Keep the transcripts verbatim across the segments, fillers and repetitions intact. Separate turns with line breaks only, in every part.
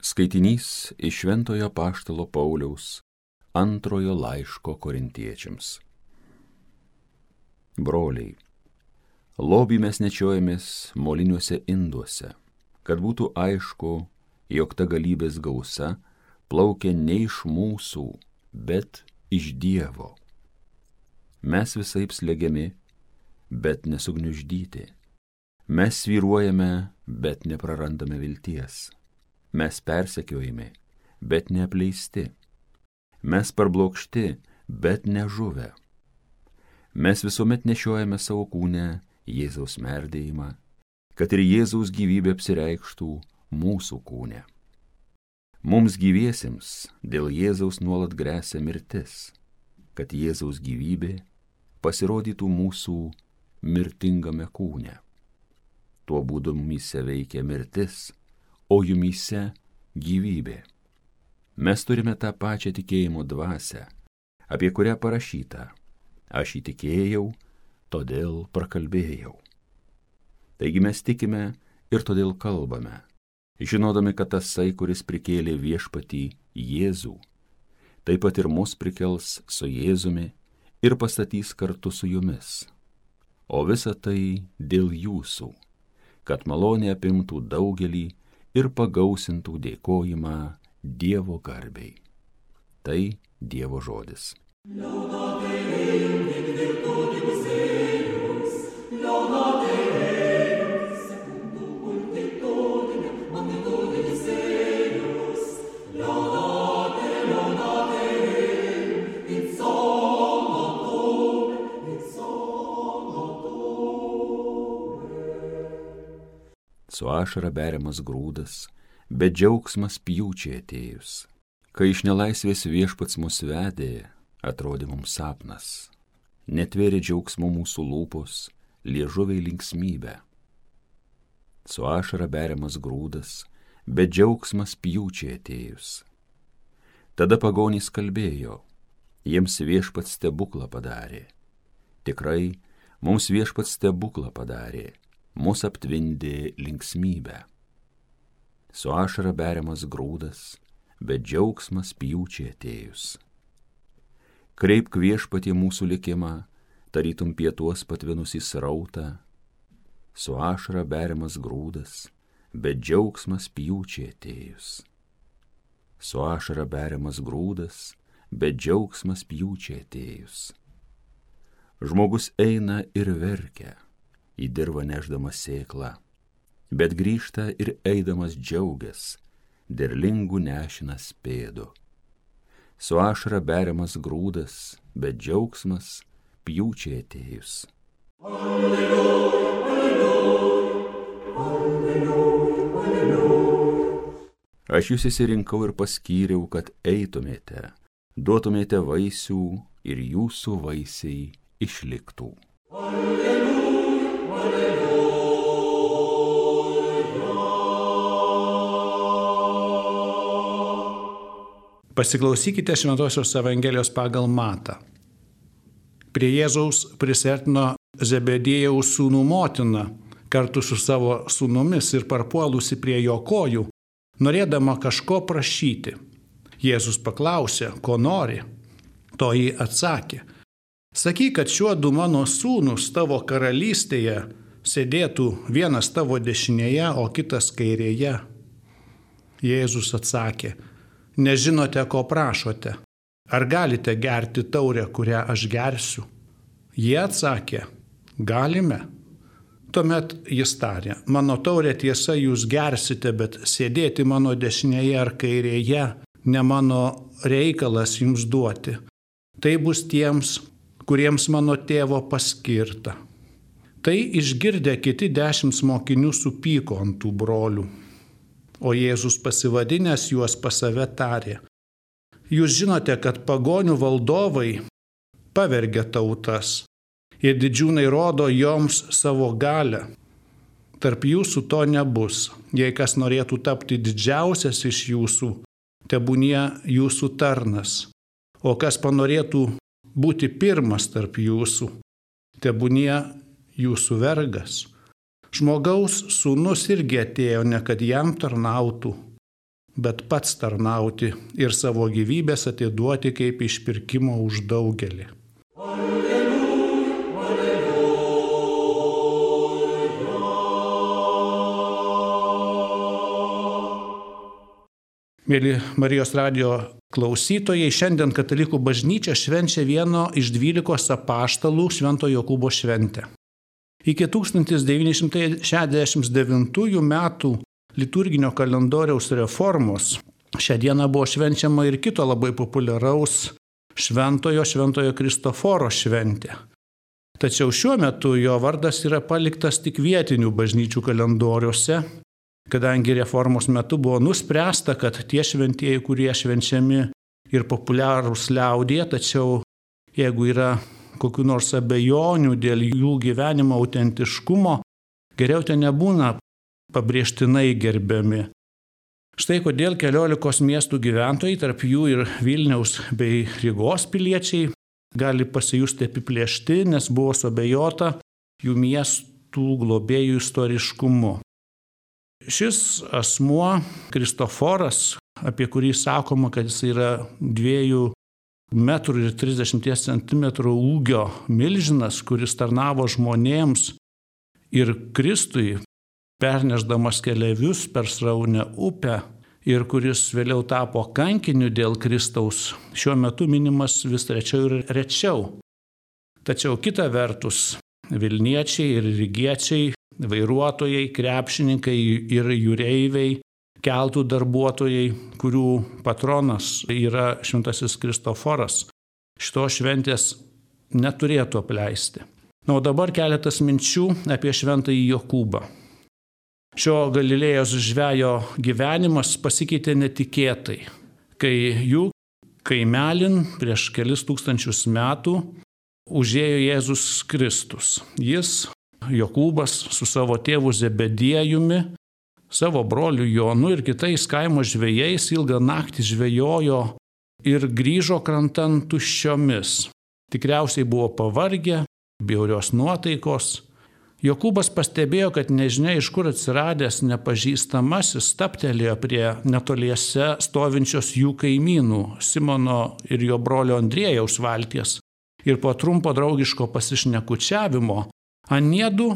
Skaitinys iš Šventojo Apaštalo Pauliaus antrojo laiško Korintiečiams. Broliai, lobį mes nešiojamės moliniuose induose, kad būtų aišku, jog ta galybės gausa plaukia ne iš mūsų, bet iš Dievo. Mes visaip slegiami, bet nesugniuždyti. Mes svyruojame, bet neprarandame vilties. Mes persekiojami, bet neapleisti. Mes parblokšti, bet nežuvę. Mes visuomet nešiojame savo kūne Jėzaus merdėjimą, kad ir Jėzaus gyvybė apsireikštų mūsų kūne. Mums gyviesiems dėl Jėzaus nuolat gresia mirtis, kad Jėzaus gyvybė pasirodytų mūsų mirtingame kūne. Tuo būdu mumyse veikia mirtis, o jumyse gyvybė. Mes turime tą pačią tikėjimo dvasią, apie kurią parašyta: aš įtikėjau, todėl prakalbėjau. Taigi mes tikime ir todėl kalbame, žinodami, kad tasai, kuris prikėlė viešpatį Jėzų, taip pat ir mus prikels su Jėzumi ir pastatys kartu su jumis. O visa tai dėl jūsų, kad malonė apimtų daugelį ir pagausintų dėkojimą Dievo garbei. Tai Dievo žodis. Su ašara beriamas grūdas, bet džiaugsmas pjūčiai atėjus. Kai iš nelaisvės viešpats mus vedė, atrodė mums sapnas. Netvėrė džiaugsmo mūsų lūpos, liežuviai linksmybę. Su ašara beriamas grūdas, bet džiaugsmas pjūčiai atėjus. Tada pagonys kalbėjo, jiems viešpats stebuklą padarė. Tikrai, mums viešpats stebuklą padarė. Mus aptvindė linksmybę. Su ašara beriamas grūdas, bet džiaugsmas pjūčiai atėjus. Kreipk viešpatie mūsų likimą, tarytum pietuos patvinusį srautą. Su ašara beriamas grūdas, bet džiaugsmas pjūčiai atėjus. Su ašara beriamas grūdas, bet džiaugsmas pjūčiai atėjus. Žmogus eina ir verkia, į dirvą neždamas sėklą, bet grįžta ir eidamas džiaugias, derlingų nešinas pėdu. Su ašara beriamas grūdas, bet džiaugsmas pjūčiai atėjus. Alleluja, alleluja, alleluja, alleluja. Aš jūs išsirinkau ir paskyriau, kad eitumėte, duotumėte vaisių ir jūsų vaisiai išliktų. Alleluja.
Pasiklausykite Šventosios Evangelijos pagal Matą. Prie Jėzaus prisiartino Zebediejaus sūnų motina kartu su savo sūnumis ir parpuolusi prie jo kojų, norėdama kažko prašyti. Jėzus paklausė, ko nori. Toji atsakė: sakyk, kad šiuo du mano sūnus tavo karalystėje sėdėtų vienas tavo dešinėje, o kitas kairėje. Jėzus atsakė: nežinote, ko prašote. Ar galite gerti taurę, kurią aš gersiu? Jie atsakė: galime. Tuomet jis tarė: mano taurę tiesa jūs gersite, bet sėdėti mano dešinėje ar kairėje ne mano reikalas jums duoti. Tai bus tiems, kuriems mano tėvo paskirta. Tai išgirdę kiti dešimt mokinių supyko ant tų brolių. O Jėzus pasivadinęs juos pas save tarė: jūs žinote, kad pagonių valdovai pavergia tautas ir didžiūnai rodo joms savo galią. Tarp jūsų to nebus. Jei kas norėtų tapti didžiausias iš jūsų, tebūnie jūsų tarnas. O kas panorėtų būti pirmas tarp jūsų, tebūnie jūsų vergas. Žmogaus sūnus irgi atėjo ne kad jam tarnautų, bet pats tarnauti ir savo gyvybės atiduoti kaip išpirkimo už daugelį. Mėly Marijos radijo klausytojai, šiandien Katalikų bažnyčia švenčia vieno iš dvylikos apaštalų Švento Jokūbo šventę. Iki tūkstantis devyni šimtai šešiasdešimt devintųjų metų liturginio kalendoriaus reformos šią dieną buvo švenčiama ir kito labai populiaraus šventojo Šventojo Kristoforo šventė. Tačiau šiuo metu jo vardas yra paliktas tik vietinių bažnyčių kalendoriuose, kadangi reformos metu buvo nuspręsta, kad tie šventieji, kurie švenčiami ir populiarūs liaudyje, tačiau jeigu yra kokių nors abejonių dėl jų gyvenimo autentiškumo, geriau ten nebūna pabrėžtinai gerbiami. Štai kodėl keliolikos miestų gyventojai, tarp jų ir Vilniaus bei Rygos piliečiai, gali pasijusti apiplėšti, nes buvo suabejota jų miestų globėjų istoriškumu. Šis asmuo, Kristoforas, apie kurį sakoma, kad jis yra dviejų metrų ir trisdešimties centimetrų ūgio milžinas, kuris tarnavo žmonėms ir Kristui, perneždamas keleivius per sraunę upę ir kuris vėliau tapo kankiniu dėl Kristaus, šiuo metu minimas vis rečiau ir rečiau. Tačiau kita vertus, Vilniečiai ir Rygiečiai, vairuotojai, krepšininkai ir jūreiviai, keltų darbuotojai, kurių patronas yra Šventasis Kristoforas, šitos šventės neturėtų apleisti. Na, o dabar keletas minčių apie Šventąjį Jokūbą. Šio Galilėjos žvejo gyvenimas pasikeitė netikėtai, kai jų kaimelin prieš kelis tūkstančius metų užėjo Jėzus Kristus. Jis, Jokūbas, su savo tėvu Zebediejumi, savo broliu Jonu ir kitais kaimo žvejais ilgą naktį žvejojo ir grįžo krantan tuščiomis. Tikriausiai buvo pavargę, bjaurios nuotaikos. Jokūbas pastebėjo, kad nežinia iš kur atsiradęs nepažįstamasis stabtelėjo prie netoliese stovinčios jų kaimynų Simono ir jo brolio Andriejaus valties. Ir po trumpo draugiško pasišnekučiavimo aniedu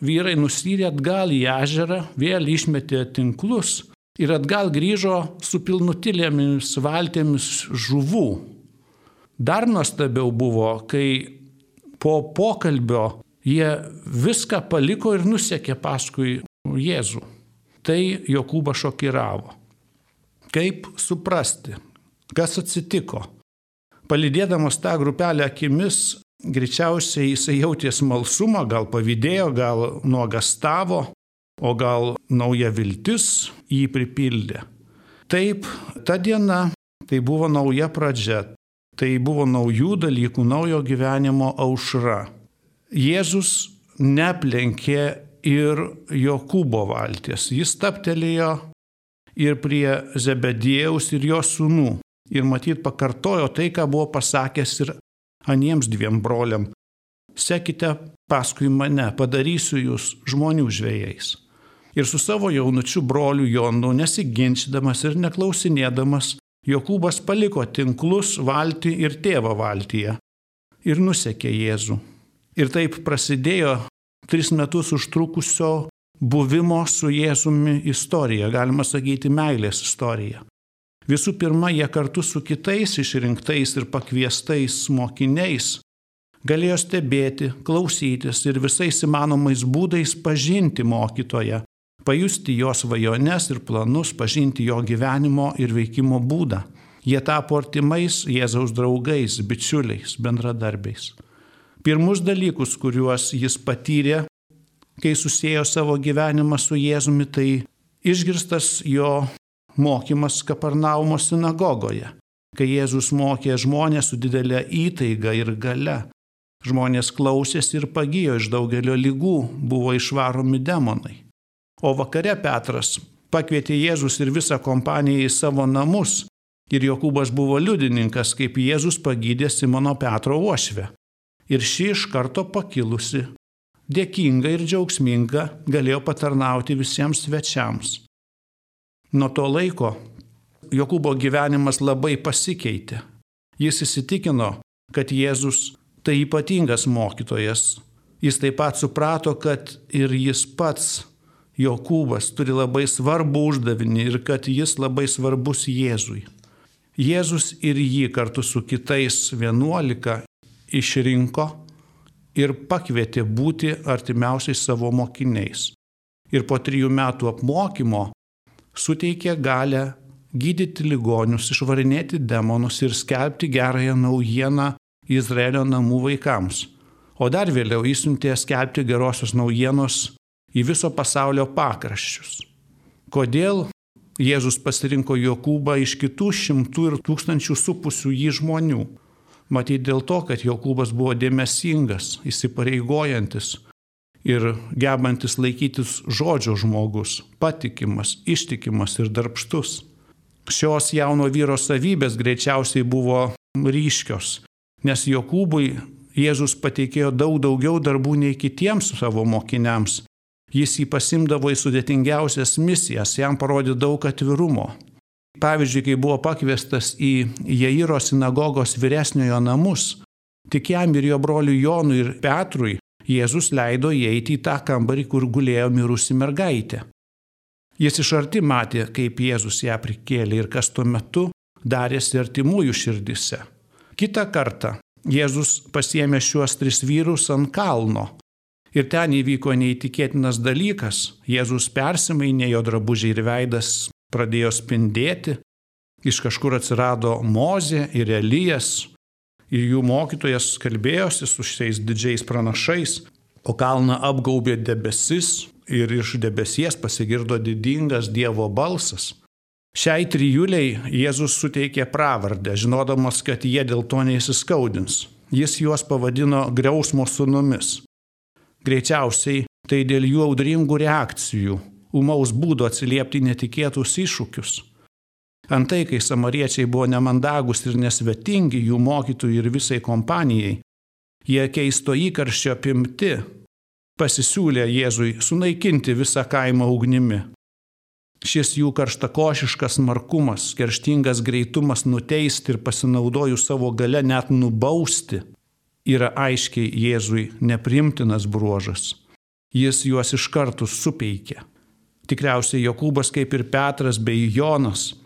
vyrai nusyrė atgal į ežerą, vėl išmetė tinklus ir atgal grįžo su pilnutilėmis valtėmis žuvų. Dar nuostabiau buvo, kai po pokalbio jie viską paliko ir nusekė paskui Jėzų. Tai Jokūbą šokiravo. Kaip suprasti, kas atsitiko? Palydėdamas tą grupelę akimis, greičiausiai jisai jautė smalsumą, gal pavydėjo, gal nuogastavo, o gal nauja viltis jį pripildė. Taip, ta diena tai buvo nauja pradžia, tai buvo naujų dalykų, naujo gyvenimo aušra. Jėzus neplenkė ir Jokūbo valties, jis stabtelėjo ir prie Zebediejaus ir jo sūnų ir matyt pakartojo tai, ką buvo pasakęs ir aniems dviem broliam. Sekite paskui mane, padarysiu jūs žmonių žvejais. Ir su savo jaunučiu broliu Jonu, nesiginčydamas ir neklausinėdamas, Jokūbas paliko tinklus valtį ir tėvą valtyje ir nusekė Jėzų. Ir taip prasidėjo tris metus užtrukusio buvimo su Jėzumi istorija, galima sakyti meilės istorija. Visų pirma, jie kartu su kitais išrinktais ir pakviestais mokiniais galėjo stebėti, klausytis ir visais įmanomais būdais pažinti mokytoją, pajusti jo svajones ir planus, pažinti jo gyvenimo ir veikimo būdą. Jie tapo artimais Jėzaus draugais, bičiuliais, bendradarbiais. Pirmus dalykus, kuriuos jis patyrė, kai susiejo savo gyvenimą su Jėzumi, tai išgirstas jo mokymas Kafarnaumo sinagogoje, kai Jėzus mokė žmonės su didelė įtaiga ir galia. Žmonės klausėsi ir pagijo iš daugelio ligų, buvo išvaromi demonai. O vakare Petras pakvietė Jėzus ir visą kompaniją į savo namus ir Jokūbas buvo liudininkas, kaip Jėzus pagydė Simono Petro uošvę. Ir ši iš karto pakilusi, dėkinga ir džiaugsminga, galėjo patarnauti visiems svečiams. Nuo to laiko Jokūbo gyvenimas labai pasikeitė. Jis įsitikino, kad Jėzus tai ypatingas mokytojas. Jis taip pat suprato, kad ir jis pats, Jokūbas, turi labai svarbų uždavinį ir kad jis labai svarbus Jėzui. Jėzus ir jį kartu su kitais vienuolika išrinko ir pakvietė būti artimiausiais savo mokiniais. Ir po trijų metų apmokymo suteikė galę gydyti ligonius, išvarinėti demonus ir skelbti gerąją naujieną Izraelio namų vaikams. O dar vėliau išsiuntė skelbti gerosios naujienos į viso pasaulio pakraščius. Kodėl Jėzus pasirinko Jokūbą iš kitų šimtų ir tūkstančių supusių jį žmonių? Matyt dėl to, kad Jokūbas buvo dėmesingas, įsipareigojantis ir gebantis laikytis žodžio žmogus, patikimas, ištikimas ir darbštus. Šios jauno vyro savybės greičiausiai buvo ryškios, nes Jokūbui Jėzus pateikėjo daug daugiau darbų nei kitiems savo mokiniams. Jis jį pasimdavo į sudėtingiausias misijas, jam parodė daug atvirumo. Pavyzdžiui, kai buvo pakviestas į Jairo sinagogos vyresniojo namus, tik jam ir jo broliui Jonui ir Petrui Jėzus leido įeiti į tą kambarį, kur gulėjo mirusi mergaitė. Jis iš arti matė, kaip Jėzus ją prikėlė ir kas tuo metu darėsi artimųjų širdise. Kitą kartą Jėzus pasiėmė šiuos tris vyrus ant kalno. Ir ten įvyko neįtikėtinas dalykas. Jėzus persimainė, jo drabužiai ir veidas pradėjo spindėti. Iš kažkur atsirado Mozė ir Elijas. Ir jų mokytojas kalbėjosi su šiais didžiais pranašais. O kalną apgaubė debesis ir iš debesies pasigirdo didingas Dievo balsas. Šiai trijuliai Jėzus suteikė pravardę, žinodamas, kad jie dėl to neįsiskaudins. Jis juos pavadino griausmo sūnumis. Greičiausiai tai dėl jų audringų reakcijų, ūmaus būdo atsiliepti netikėtus iššūkius. Antai, kai samariečiai buvo nemandagus ir nesvetingi jų mokytojų ir visai kompanijai, jie keisto įkarščio apimti pasisiūlė Jėzui sunaikinti visą kaimą ugnimi. Šis jų karštakošiškas smarkumas, kerštingas greitumas nuteisti ir pasinaudojus savo gale net nubausti, yra aiškiai Jėzui nepriimtinas bruožas. Jis juos iš karto supeikė. Tikriausiai Jokūbas, kaip ir Petras bei Jonas,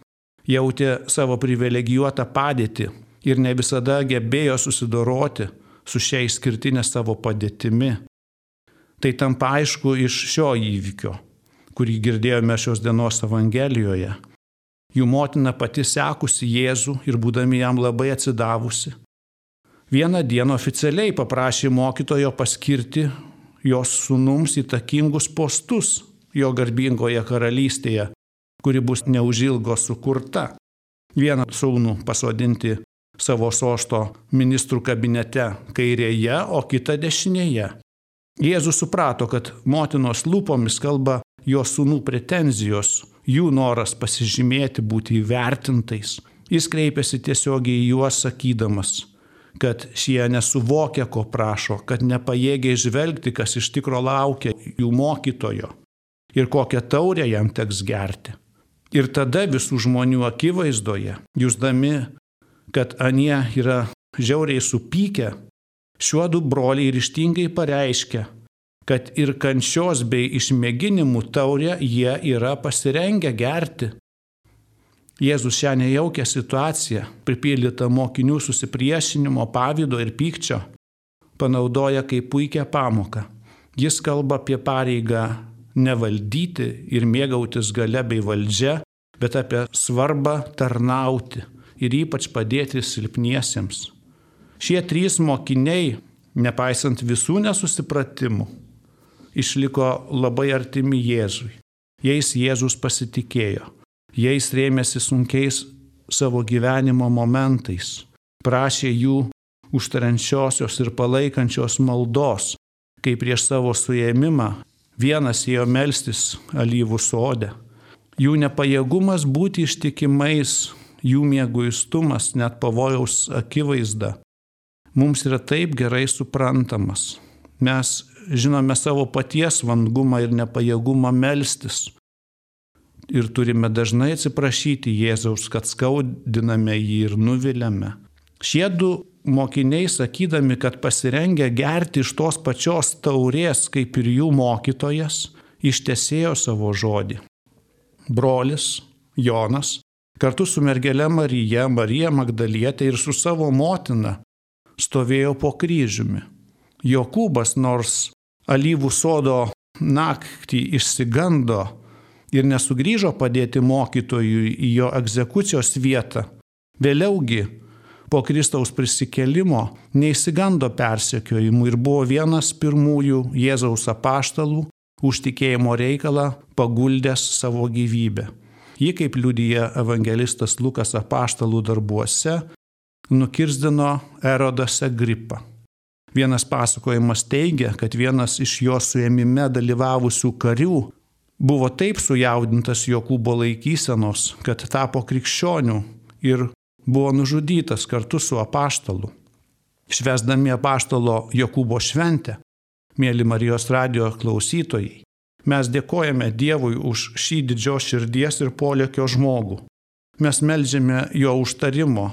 jautė savo privilegijuotą padėtį ir ne visada gebėjo susidoroti su šia išskirtinė savo padėtimi. Tai tampa aišku iš šio įvykio, kurį girdėjome šios dienos Evangelijoje. Jų motina pati sekusi Jėzų ir būdami jam labai atsidavusi. Vieną dieną oficialiai paprašė mokytojo paskirti jos sūnums įtakingus postus jo garbingoje karalystėje, kuri bus neužilgo sukurta. Vieną sūnų pasodinti savo sosto ministrų kabinete kairėje, o kitą dešinėje. Jėzus suprato, kad motinos lūpomis kalba jo sūnų pretenzijos, jų noras pasižymėti, būti įvertintais. Jis kreipėsi tiesiogiai į juos sakydamas, kad šie nesuvokia, ko prašo, kad nepajėgia žvelgti, kas iš tikro laukia jų mokytojo ir kokią taurę jam teks gerti. Ir tada visų žmonių akivaizdoje, jusdami, kad anie yra žiauriai supykę, šiuodu broliai ryžtingai pareiškia, kad ir kančios bei išmėginimų taurę jie yra pasirengę gerti. Jėzus šią nejaukią situaciją, pripildytą mokinių susipriešinimo, pavydo ir pykčio, panaudoja kaip puikią pamoką. Jis kalba apie pareigą nevaldyti ir mėgautis gale bei valdžia, bet apie svarbą tarnauti ir ypač padėti silpniesiems. Šie trys mokiniai, nepaisant visų nesusipratimų, išliko labai artimi Jėzui. Jais Jėzus pasitikėjo. Jais rėmėsi sunkiais savo gyvenimo momentais. Prašė jų užtariančiosios ir palaikančios maldos, kai prieš savo suėmimą vienas ėjo melstis alyvų sode. Jų nepajėgumas būti ištikimais, jų mieguistumas, net pavojaus akivaizda, mums yra taip gerai suprantamas. Mes žinome savo paties vangumą ir nepajėgumą melstis. ir turime dažnai atsiprašyti Jėzaus, kad skaudiname jį ir nuviliame. Šie du mokiniai, sakydami, kad pasirengę gerti iš tos pačios taurės, kaip ir jų mokytojas, ištesėjo savo žodį. Brolis Jonas kartu su mergele Marija, Marija Magdalietė ir su savo motina stovėjo po kryžiumi. Jokūbas, nors alyvų sodo naktį išsigando ir nesugrįžo padėti mokytojui į jo egzekucijos vietą, vėliaugi po Kristaus prisikėlimo neišsigando persekiojimų ir buvo vienas pirmųjų Jėzaus apaštalų už tikėjimo reikalą paguldęs savo gyvybę. Ji, kaip liudija evangelistas Lukas apaštalų darbuose, nukirzdino Erodas Agripą. Vienas pasakojimas teigia, kad vienas iš jo suėmime dalyvavusių karių buvo taip sujaudintas Jokūbo laikysenos, kad tapo krikščioniu ir buvo nužudytas kartu su apaštalu. Švęsdami apaštalo Jokūbo šventę, mėly Marijos radijo klausytojai, mes dėkojame Dievui už šį didžios širdies ir polėkio žmogų. Mes meldžiame jo užtarimo.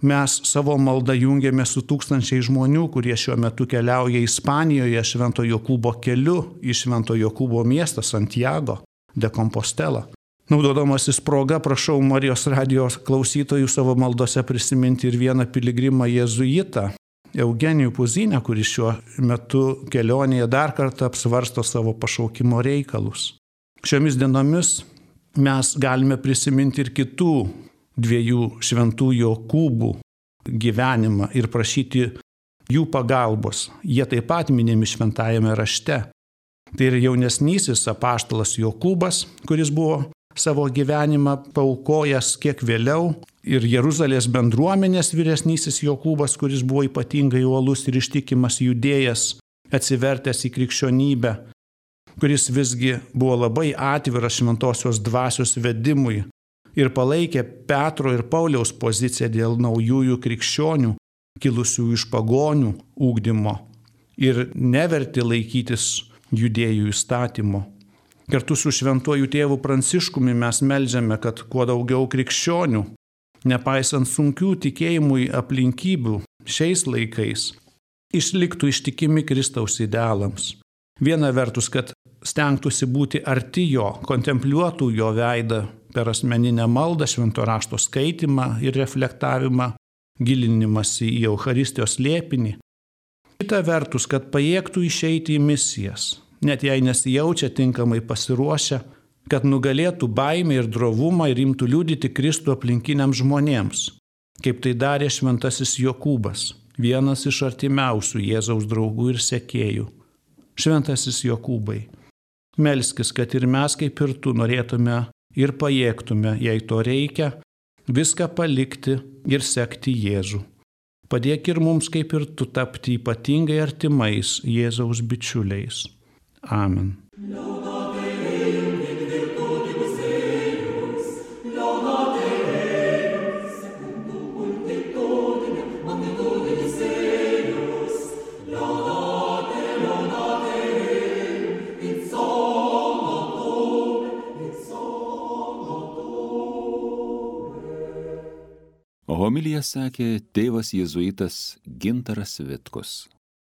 Mes savo maldą jungiame su tūkstančiai žmonių, kurie šiuo metu keliauja Ispanijoje Švento Jokūbo keliu į Švento Jokūbo miestą Santiago de Compostela. Naudodamasis proga, prašau Marijos radijos klausytojų savo maldose prisiminti ir vieną piligrimą jėzuitą, Eugenijų Puzinę, kuris šiuo metu kelionėje dar kartą apsvarsto savo pašaukimo reikalus. Šiomis dienomis mes galime prisiminti ir kitų dviejų šventų Jokūbų gyvenimą ir prašyti jų pagalbos. Jie taip pat minimi šventajame rašte. Tai ir jaunesnysis apaštalas Jokūbas, kuris buvo savo gyvenimą paaukojęs kiek vėliau, ir Jeruzalės bendruomenės vyresnysis Jokūbas, kuris buvo ypatingai uolus ir ištikimas judėjas, atsivertęs į krikščionybę, kuris visgi buvo labai atviras šventosios dvasios vedimui ir palaikė Petro ir Pauliaus poziciją dėl naujųjų krikščionių, kilusių iš pagonių ugdymo ir neverti laikytis judėjų įstatymo. Kartu su šventuoju tėvu Pranciškumi mes meldžiame, kad kuo daugiau krikščionių, nepaisant sunkių tikėjimui aplinkybių šiais laikais, išliktų ištikimi Kristaus idealams. Viena vertus, kad stengtųsi būti arti jo, kontempliuotų jo veidą per asmeninę maldą, švento rašto skaitimą ir reflektavimą, gilinimąsi į Eucharistijos slėpinį. Kita vertus, kad pajėgtų išeiti į misijas, net jei nesijaučia tinkamai pasiruošę, kad nugalėtų baimę ir drovumą ir imtų liudyti Kristų aplinkiniams žmonėms, kaip tai darė šventasis Jokūbas, vienas iš artimiausių Jėzaus draugų ir sekėjų. Šventasis Jokūbai, melskis, kad ir mes kaip ir tu norėtume ir pajėgtume, jei to reikia, viską palikti ir sekti Jėzų. Padėk ir mums kaip ir tu tapti ypatingai artimais Jėzaus bičiuliais. Amen.
Homiliją sakė tėvas jėzuitas Gintaras Vitkus.